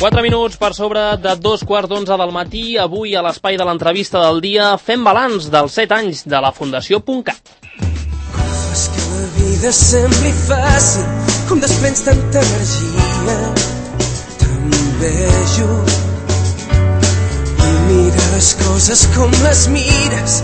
4 minuts per sobre de 2:15 del matí. Avui, a l'espai de l'entrevista del dia, fem balanç dels 7 anys de la Fundació .cat. Fas que la vida sembli fàcil, com desprens tanta energia. T'envejo i mira les coses com les mires.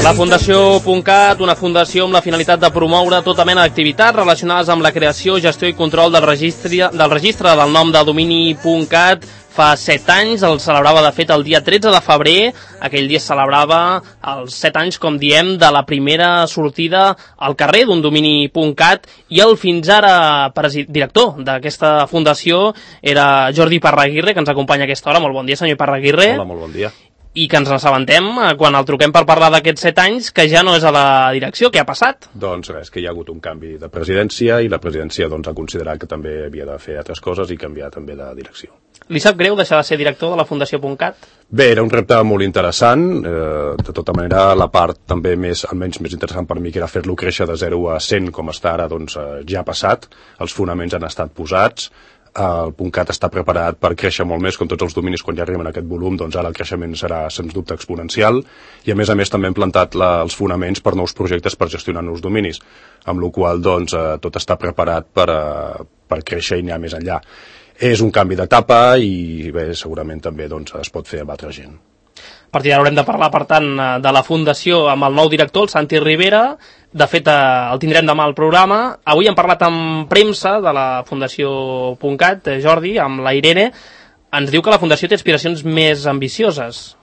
La Fundació .cat, una fundació amb la finalitat de promoure tota mena d'activitats relacionades amb la creació, gestió i control del registre del nom de domini .cat. Fa 7 anys, el celebrava de fet el dia 13 de febrer, aquell dia es celebrava els 7 anys, com diem, de la primera sortida al carrer d'un domini .cat, i el fins ara director d'aquesta fundació era Jordi Parraguirre, que ens acompanya a aquesta hora. Molt bon dia, senyor Parraguirre. Hola, molt bon dia. I que ens assabentem, quan el truquem per parlar d'aquests 7 anys, que ja no és a la direcció. Què ha passat? Doncs res, que hi ha hagut un canvi de presidència i la presidència ha considerat que també havia de fer altres coses i canviar també de direcció. Li sap greu deixar de ser director de la Fundació .cat? Bé, era un repte molt interessant. De tota manera, la part també almenys més interessant per mi, que era fer-lo créixer de 0 a 100 com està ara, ja ha passat. Els fonaments han estat posats. El .cat està preparat per créixer molt més, com tots els dominis. Quan ja arriben a aquest volum, ara el creixement serà sens dubte exponencial, i a més també hem plantat els fonaments per nous projectes per gestionar nous dominis, amb la qual tot està preparat per créixer i anar més enllà. És un canvi d'etapa i bé, segurament també es pot fer amb altra gent. A partir d'ara haurem de parlar, per tant, de la Fundació amb el nou director, el Santi Rivera. De fet, el tindrem demà al programa. Avui hem parlat amb premsa de la Fundació .cat, Jordi, amb la Irene. Ens diu que la Fundació té aspiracions més ambicioses.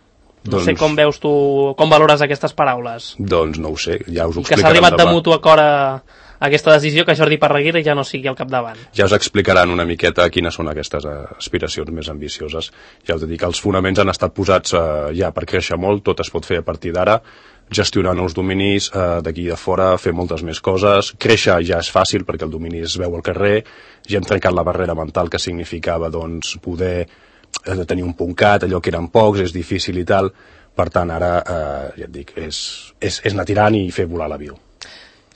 No sé com veus tu, com valores aquestes paraules. Doncs no ho sé, ja us ho explicarem demà. Que s'ha arribat de mutu acord a aquesta decisió, que Jordi Parraguirre ja no sigui al capdavant. Ja us explicaran una miqueta quines són aquestes aspiracions més ambicioses. Ja us dic que els fonaments han estat posats ja per créixer molt, tot es pot fer a partir d'ara, gestionar nous dominis d'aquí de fora, fer moltes més coses. Créixer ja és fàcil perquè el domini es veu al carrer, ja hem trencat la barrera mental que significava poder tenir un .cat, allò que eren pocs, és difícil i tal. Per tant, ara, ja et dic, és anar tirant i fer volar l'avió.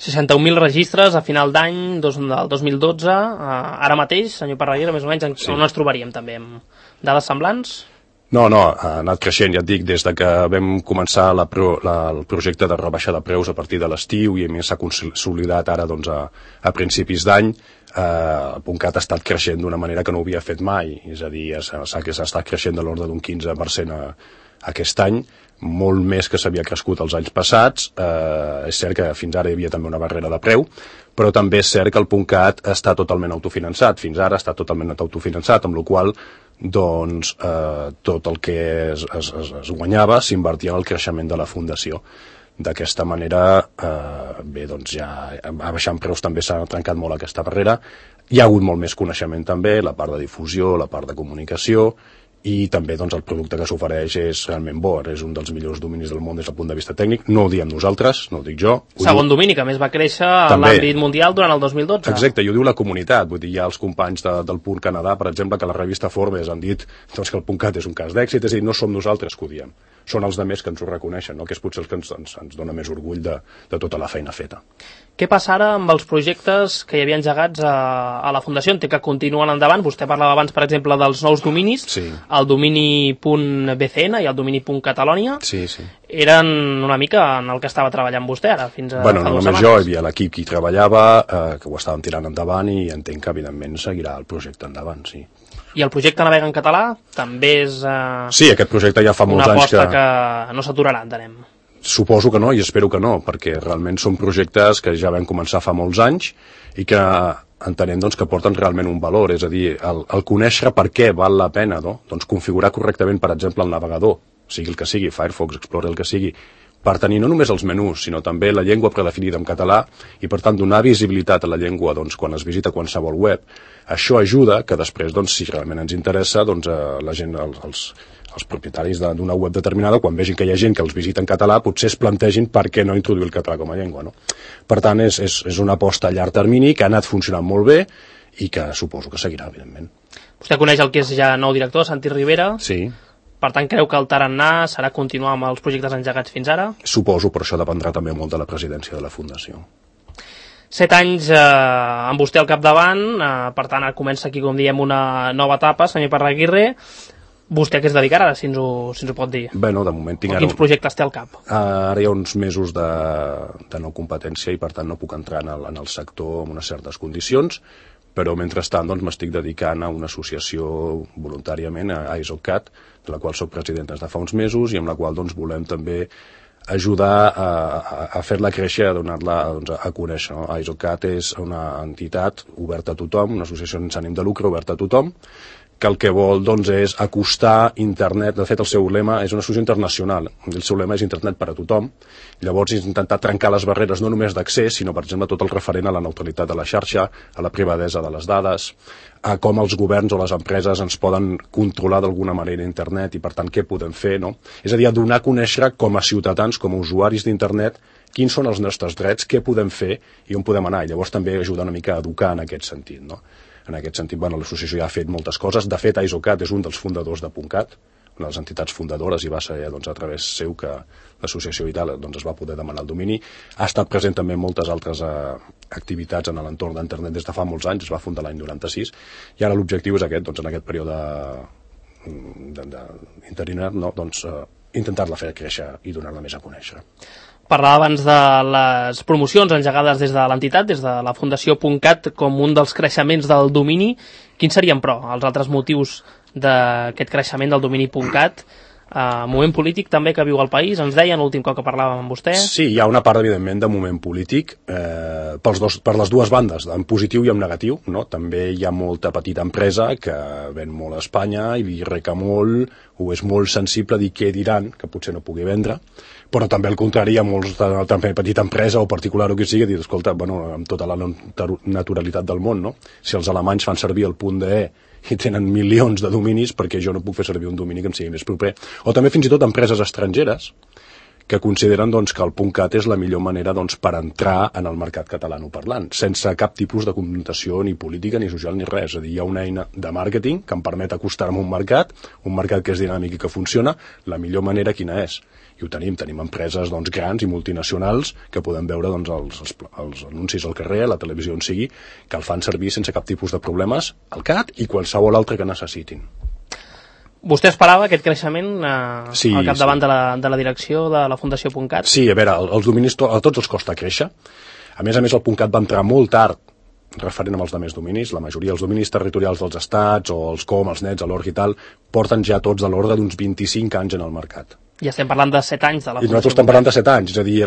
61.000 registres a final d'any del 2012. Ara mateix, senyor Parraguirre, més o menys, on ens trobaríem també? Amb dades semblants? No, ha anat creixent, ja et dic, des que vam començar el projecte de rebaixa de preus a partir de l'estiu, i a més s'ha consolidat ara a principis d'any. El .cat ha estat creixent d'una manera que no ho havia fet mai, és a dir, s'ha estat creixent de l'ordre d'un 15% aquest any, molt més que s'havia crescut els anys passats. És cert que fins ara hi havia també una barrera de preu, però també és cert que el .cat està totalment autofinançat, fins ara està totalment autofinançat, amb la qual tot el que es guanyava s'invertia en el creixement de la fundació. D'aquesta manera, ja abaixant preus també s'ha trencat molt aquesta barrera. Hi ha hagut molt més coneixement també, la part de difusió, la part de comunicació, i també el producte que s'ofereix és realment bo, és un dels millors dominis del món des del punt de vista tècnic. No ho diem nosaltres, no ho dic jo. Segon domini, que a més va créixer a l'àmbit mundial durant el 2012. Exacte, i ho diu la comunitat. Vull dir, hi ha els companys del Punt Canadà, per exemple, que a la revista Forbes han dit que el .cat és un cas d'èxit, és a dir, no som nosaltres que ho diem. Són els altres que ens ho reconeixen, no? Que és potser el que ens dona més orgull de tota la feina feta. Què passa ara amb els projectes que hi havia engegats a la Fundació? Entenc que continuen endavant. Vostè parlava abans, per exemple, dels nous dominis, sí. El domini .bcn i el domini .catalònia. Sí. Eren una mica en el que estava treballant vostè ara, fins a fa 2 setmanes. No només jo, hi havia l'equip que hi treballava, que ho estàvem tirant endavant, i entenc que, evidentment, seguirà el projecte endavant, sí. I el projecte Navega en català també és sí, aquest projecte ja fa molts anys una aposta que no s'aturarà, entenem. Suposo que no, i espero que no, perquè realment són projectes que ja vam començar fa molts anys i que entenem que porten realment un valor, és a dir, el conèixer per què val la pena configurar correctament, per exemple, el navegador, sigui el que sigui, Firefox, Explorer, el que sigui, per tenir no només els menús, sinó també la llengua predefinida en català, i per tant donar visibilitat a la llengua quan es visita qualsevol web. Això ajuda que després, si realment ens interessa, la gent, els propietaris d'una web determinada, quan vegin que hi ha gent que els visita en català, potser es plantegin per què no introduir el català com a llengua, no? Per tant, és una aposta a llarg termini que ha anat funcionant molt bé i que suposo que seguirà, evidentment. Vostè coneix el que és ja nou director, Santi Rivera? Sí. Per tant, creu que el tarannà serà continuar amb els projectes engegats fins ara? Suposo, però això dependrà també molt de la presidència de la Fundació. 7 anys amb vostè al capdavant, per tant ara comença aquí, com diem, una nova etapa, senyor Parraguirre. Vostè a què es dedicarà ara, si ens ho pot dir? Bé, no, de moment tinc ara... Quins projectes té al cap? Ara hi ha uns mesos de no competència i per tant no puc entrar en el sector amb unes certes condicions, però mentrestant doncs, m'estic dedicant a una associació voluntàriament, a ISOCAT, de la qual soc president des de fa uns mesos i amb la qual doncs, volem també ajudar a fer-la créixer, a donar-la doncs, a conèixer. No? ISOCAT és una entitat oberta a tothom, una associació sense ànim de lucre oberta a tothom, que el que vol doncs, és acostar internet. De fet, el seu lema és una associació internacional. El seu lema és internet per a tothom. Llavors, és intentar trencar les barreres no només d'accés, sinó, per exemple, tot el referent a la neutralitat de la xarxa, a la privadesa de les dades, a com els governs o les empreses ens poden controlar d'alguna manera internet i, per tant, què podem fer, no? És a dir, a donar a conèixer com a ciutadans, com a usuaris d'internet, quins són els nostres drets, què podem fer i on podem anar. I llavors també ajudar una mica a educar en aquest sentit, no? En aquest sentit, bueno, l'associació ja ha fet moltes coses. De fet, ISOCAT és un dels fundadors de .cat, una de les entitats fundadores, i va ser doncs, a través seu que l'associació i tal doncs, es va poder demanar el domini. Ha estat present també en moltes altres activitats en l'entorn d'internet des de fa molts anys, es va fundar l'any 96, i ara l'objectiu és aquest, doncs, en aquest període interinat, no? Doncs, intentar-la fer créixer i donar-la més a conèixer. Parlava abans de les promocions engegades des de l'entitat, des de la Fundació .cat, com un dels creixements del domini. Quins serien, però, els altres motius d'aquest creixement del domini .cat? Moment polític també que viu el país, ens deien l'últim cop que parlàvem amb vostè. Sí, hi ha una part, evidentment, de moment polític per les dues bandes, en positiu i en negatiu, no? També hi ha molta petita empresa que ven molt a Espanya i li reca molt, o és molt sensible a dir què diran, que potser no pugui vendre, però també al contrari hi ha molts també petita empresa o particular o qui sigui, dir, escolta, bueno, amb tota la naturalitat del món, no? Si els alemanys fan servir el .de i tenen milions de dominis, perquè jo no puc fer servir un domini que em sigui més proper. O també fins i tot empreses estrangeres que consideren doncs, que el .cat és la millor manera doncs, per entrar en el mercat catalanoparlant, sense cap tipus de connotació ni política, ni social, ni res. És a dir, hi ha una eina de màrqueting que em permet acostar-me a un mercat que és dinàmic i que funciona. La millor manera quina és? I ho tenim empreses doncs, grans i multinacionals que podem veure doncs, els anuncis al carrer, a la televisió on sigui, que el fan servir sense cap tipus de problemes al CAT i qualsevol altre que necessitin. Vostè esperava aquest creixement sí, al capdavant sí. de la direcció de la Fundació .cat? Sí, a veure, els dominis a tots els costa créixer. A més, el .cat va entrar molt tard referent amb els altres dominis. La majoria dels dominis territorials dels estats o els com, els nets, l'org i tal, porten ja tots de l'ordre d'uns 25 anys en el mercat. Ja estem parlant de 7 anys de la Fundació. I nosaltres estem parlant de 7 anys, és a dir,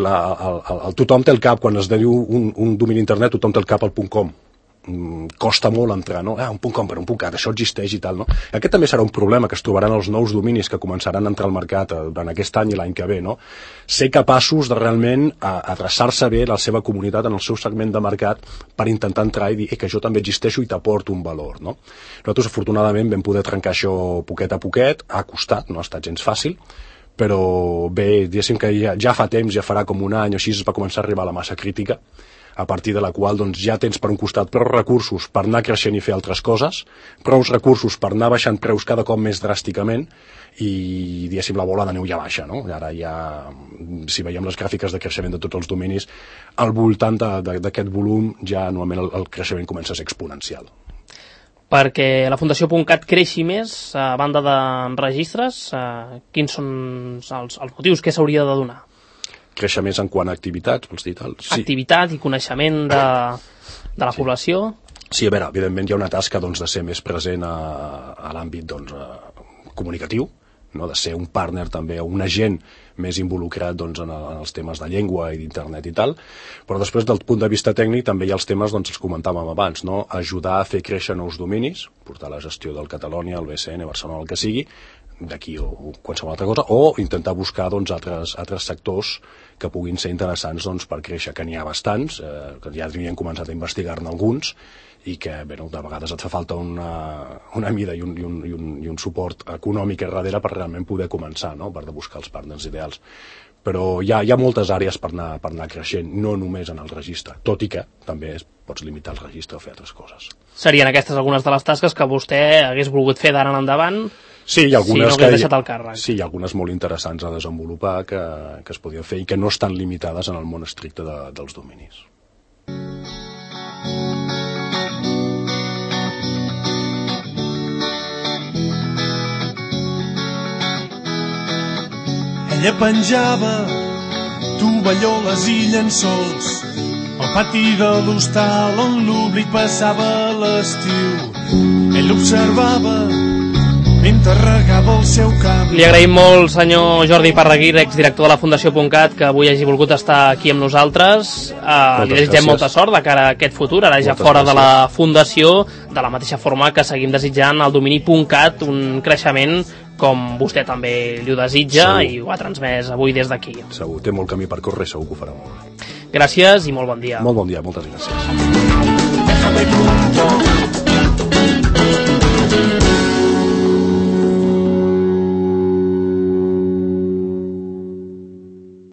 tothom té el cap, quan es diu un domini internet, tothom té el cap al .com. Costa molt entrar, no? Un .com per un .cat, això existeix i tal, no? Aquest també serà un problema que es trobaran els nous dominis que començaran a entrar al mercat durant aquest any i l'any que ve, no? Ser capaços de realment adreçar-se bé a la seva comunitat, en el seu segment de mercat, per intentar entrar i dir que jo també existeixo i t'aporto un valor, no? Nosaltres, afortunadament, vam poder trencar això poquet a poquet, ha costat, no ha estat gens fàcil, però bé, diguéssim que ja fa temps, ja farà com un any o així, es va començar a arribar a la massa crítica, a partir de la qual doncs, ja tens per un costat prou recursos per anar creixent i fer altres coses, prou recursos per anar baixant preus cada cop més dràsticament i, diguéssim, la bola de neu ja baixa, no? Ara ja, si veiem les gràfiques de creixement de tots els dominis, al voltant d'aquest volum ja normalment el creixement comença a ser exponencial. Perquè la Fundació .cat creixi més, a banda de registres, quins són els motius que s'hauria de donar? Créixer més en quant a activitats, vols dir tal? Sí. Activitat i coneixement de la població? Sí, a veure, evidentment hi ha una tasca doncs, de ser més present a l'àmbit doncs, comunicatiu, no? De ser un partner també, un agent més involucrat doncs, en els temes de llengua i d'internet i tal, però després del punt de vista tècnic també hi ha els temes, doncs els comentàvem abans, no? Ajudar a fer créixer nous dominis, portar la gestió del Catalonia, el BCN, Barcelona, el que sigui, d'aquí o qualsevol altra cosa, o intentar buscar doncs, altres sectors que puguin ser interessants doncs, per créixer, que n'hi ha bastants, que ja havien començat a investigar-ne alguns, i que bé, de vegades et fa falta una mida i un suport econòmic a darrere per realment poder començar, no? Per buscar els partners ideals. Però hi ha moltes àrees per anar creixent, no només en el registre, tot i que també pots limitar el registre o fer altres coses. Serien aquestes algunes de les tasques que vostè hagués volgut fer d'ara en endavant? Sí, hi ha algunes, si no hagués deixat el càrrec. Sí, hi ha algunes molt interessants a desenvolupar que es podien fer i que no estan limitades en el món estricte dels dominis. Ella penjava tovalloles i llençols al pati de l'hostal on l'oblit passava l'estiu. Ell observava mentre regava el seu camp. Li agraïm molt, senyor Jordi Parraguir, exdirector de la Fundació .cat, que avui hagi volgut estar aquí amb nosaltres. Li desitgem molta sort de cara a aquest futur, ara ja fora de la Fundació, de la mateixa forma que seguim desitjant al domini .cat un creixement com vostè també li ho desitja i ho ha transmès avui des d'aquí. Segur, té molt camí per córrer, segur que ho farà molt bé. Gràcies i molt bon dia. Molt bon dia, moltes gràcies.